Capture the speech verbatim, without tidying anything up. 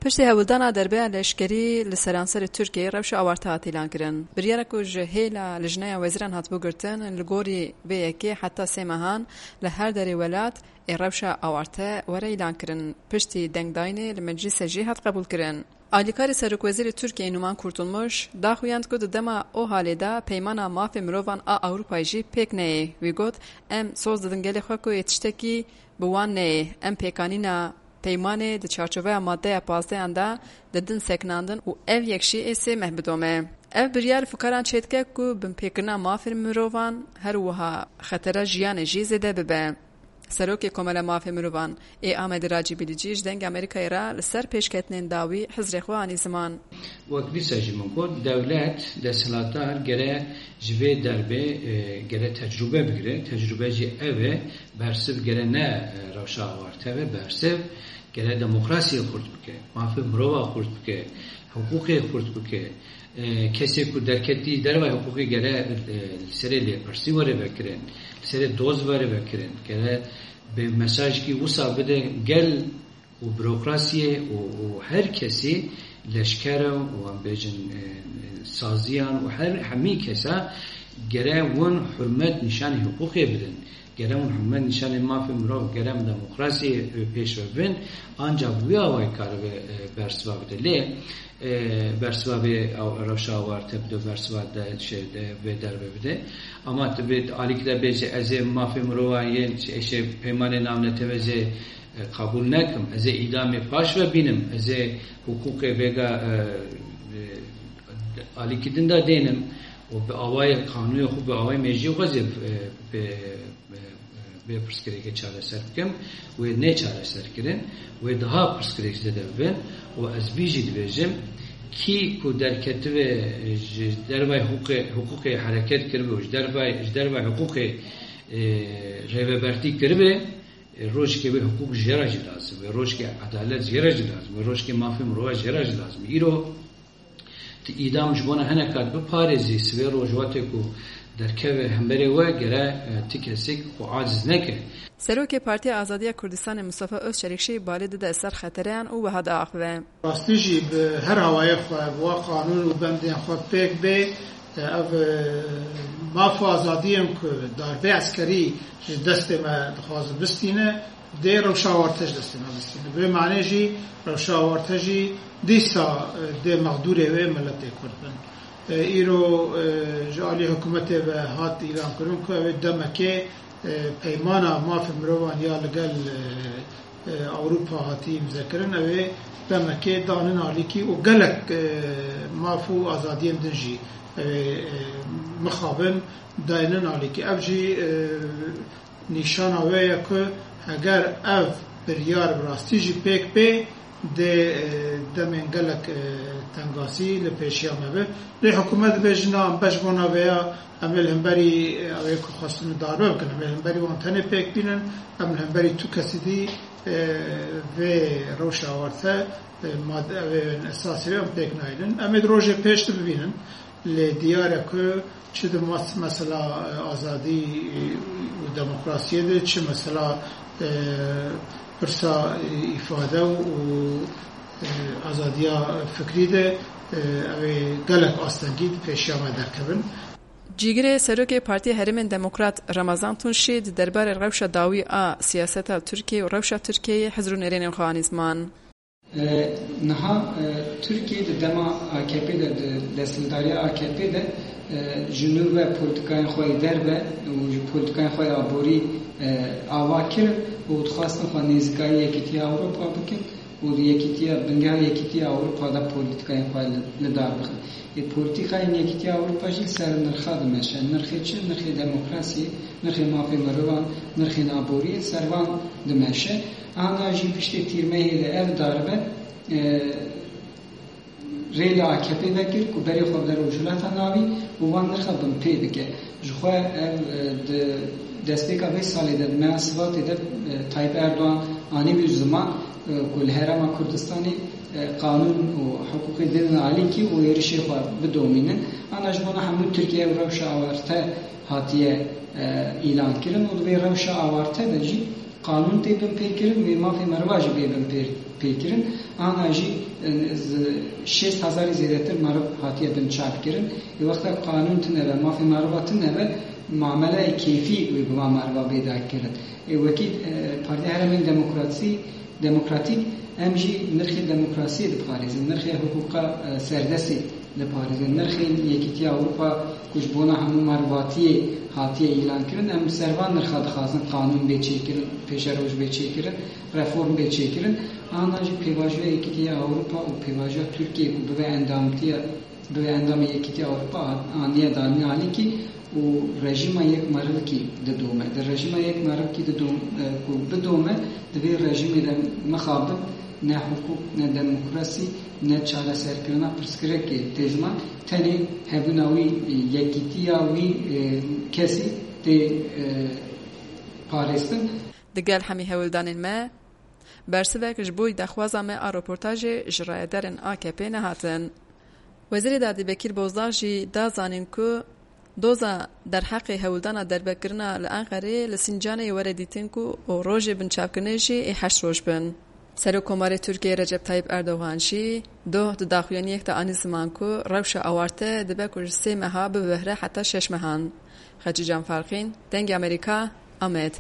Piştî hewldana derbeya leşkerî li seranserê Tirkiyeyê rewşa awarte hat îlankirin. Biryara ku ji hêla Lijneya Wezîran hatibû girtin, li gorî vê yekê heta sê mehan li her derê welat ê rewşa awarte were îlankirin. Piştî dengdayînê li meclîsê jî hat qebûlkirin. Alîkarê Serokwezîrê Tirkiyeyê Numan Kurtulmuş daxuyand ku di dema OHAL'ê de Peymana Mafê Mirovan a Ewropayê jî pêk neyê. Wî got, Em soz didin gelê xwe ku ê tiştekî bi wan neyê. Em pêkanîna peymanê di çarçoveya maddeya pazdehan de didin sekinandin û ev yek jî ê sê meh bidome. Ev biryar fikaran çêdike ku binpêkirina mafên mirovan her wiha xetera jiyanê jî zêde bibe. Serokê Komela Mafê Mirovan ê Amedê Racî Bilîcî ji Dengê Amerîkayê re li ser pêşketinên dawî hizrê xwe anî ziman. Wek dîsa jî min got, dewlet, desthilatdar gere ji vê derbê, e, gere tecrûbe bigire. Tecrûbe jî ev e, bersiv gere ne, e, rewşa awarte be, bersiv gere demokrasiyê xurt bike, mafê mirova xurt bike, hiqûqê xurt bike. E, kesê ku derketî dervayê hiqûqê gere, e, li serê lêpirsî were vekirin, li serê doz were vekirin, gere bi mesajekî wisa bide gel û burokrasiyê û, û her kesî leşkere û em bêjin, e, e, saziyan û her hemî kesa gere win hurmet nîşanî hiqûqê bidin. Gere hûn hurmet nîşanê mafê mirov, gere em demokrasiyê, e, pêş ve bin, ancak wî awayî karibe, e, bersiva bide. Lê, e, bersiva vê aw-, rewşa awarte bide, bersiva de, şey de, vê derve bide. Ama tu bê alîkî de bêje, ez ê mafê mirovan yên, şey, peymanê navneteweyê ez ê, e, qebûl nekim. Ez ê îdamê paş ve bînim. Ez ê hiqûqê vêga, e, e, alîkî din de dênim. Û bi awayê qanûnê xwe, bi awayê mecliyê xwe ez ê, e, pê, e, e, vê pirsgirêkê çareser bikim, wê nê çareser kirin, wê daha pirsgirêk zêde bibin. Û ez vî jî dibêjim, kî ku derketibe ji dervay hiqûqê, hiqûqê hereket kiribe û ji dervay, ji dervay hiqûqê, e, rêvebertî kiribe, e, rojekê wê hiqûq jê re jî lazim, wê rojekê edalet jê re jî lazim, wê rojekê mafê mirova jê re jî lazim. Îro Tu îdam ji bona hineka biparêzî, sibê rojwatê ku derkeve hemberê we gere, e, ti kesek xwe aciz neke. Serokê Partiya Azadiya Kurdistanê Mustafa Özçelik jî balê dide ser xetereyan û wiha diaxive. Rastî jî bi her awayê xwe, bi wa qanûn û bendên xwe pêk bê, e, ev, e, maf û azadiyên ku darbê eskerî ji destê me dixwaze bistîne, dê rewşa awarte ji destê me bistîne. Bi vê manê jî rewşa awarte jî dîsa, e, dê mexdûrê wê miletê Kurd bin. E, îro, e, ji alî hikûmetê ve hat îlankirin ku ew ê demekê, e, peymana mafê mirovan ya li gel, e, e, Ewropa hatî îmzekirin, ew ê demekê danin alîkî û gelek, e, maf û azadiyên din jî ew ê, e, mixabin daynin alîkî. Ev jî, e, nîşana wê ye ku heger ev biryar bi rastî jî pêk bê, dê, e, demên gelek, e, tengasî li pêşiya me be. Lê hikûmet dibêje, na, em beş bona vê ya, em ê li hemberî, e, ew ê ku xwestine darbe bikin, em ê li hemberî wan tenê pêk bînin, em li hemberî tu kesî dî, e, vê rewşa awarte, e, mad-, ew ê esasî wê em pêk nayînin. Em ê di rojê pêş de bibînin. Lê diyar e ku çi di mas-, mesela, e, azadî, e, û demokrasiyê de, çi mesela, e, pirsa, e, îfade û, e, azadiya fikrî de, e, ew ê gelek astengî di pêşiya me derkevin. Cîgirê Serokê Partiya Herêmên Demokrat Ramazan Tunç jî di derbarê rewşa dawî a siyaseta Tirkiyeyê û rewşa Tirkiyeyê hizr û nêrênên xwe anî ziman. E, niha, e, Tirkiye di dema A K P de, di desthilatdariya A K P de, e, ji nû ve polîtikayên xwe yê derve û ji polîtikayên xwe yê aborî, e, ava kirin û dixwastin xwe nêzîkayî Yekîtiya Ewropa bikin û di Yekîtiya, bingeha Yekîtiya Ewropa de polîtikayên xwe li, li dar bixin. Ê, polîtîkayên Yekîtiya Ewropa jî li ser nirxa dimeşe. Nirxê çi? Nirxê demokrasiyê, nirxê mafê mirovan, nirxên aboriyê li ser van dimeşe. Ana jî piştê tîrmehê de ev darbe, e, rê li A K P vekir ku berê xwe bide Rojhilata Navî û van nirxa binpê bike. Jixwe ev, e, di destpêka vê salê de, di meha Sibatê de, e, Tayyip Erdogan anîbû ziman, e, ku li Herêma Kurdistanê, e, qanûn û hiqûqê didin alîkî û êrişê xwe bidomînin. Ana ji bona hemû Tirkiye ev rewşa awarte hatiye, e, îlankirin û di vê rewşa awarte de jî Qanûn tê binpêkirin, wê mafê meriva jî bê binpêkirin. Ana jî, e, z-, şêst hezarî zêdetir meriv hatiye binçavkirin. Ê wexta qanûn tune be, mafê meriva tune be, mameleyê kêfî wê bi van meriva bê derkirin. Ê wekî, e, Partiya Herêmên Demokrasî, Demokratîk, em jî nirxê demokrasiyê diparêzin, nirxê hiqûqa, e, serdestê diparêzin, nirxên Yekîtiya Ewropa ku ji bona hemû merivatiyê hatiye îlankirin, em li ser van nirxa dixwazin qanûn bê çêkirin, pêşeroj bê çêkirin, reform bê çêkirin. Ana jî pêvajoya Yekîtiya Ewropa û pêvajoya Tirkiyê ku bibe endamtiya, bibe endamê Yekîtiya Ewropa aniye danî alîkî û rejîma yek merivkî didome. Di rejîma yek merivkî didom-, e, ku bidome, di vê rejîmê de mixabin ne hiqûq, ne demokrasî, ne çareserkirina pirsgirêkê tê ziman, tenê hebûna wî, e, yekîtiya wî, e, kesî tê, e, parêstin. Digel hemî hewldanên me, bersivek ji bo daxwaza me a roportajê ji rayedarên A K P nehatin. Wezîrê Dadî Bekîr Bozdağ jî da zanîn ku doza derheqê hewldana derbekirina li Enqerê li Sincanê were dîtin ku û rojê binçavkirinê jî ê heşt roj bin. Serokkomarê Tirkiyê Recep Tayyip Erdogan jî doh di daxuyaniyek de anî ziman ku rewşa awarte dibe ku ji sê meha bibihre heta şeş mehan. Xecîcan Farqîn, Dengê Amerîka, Amed.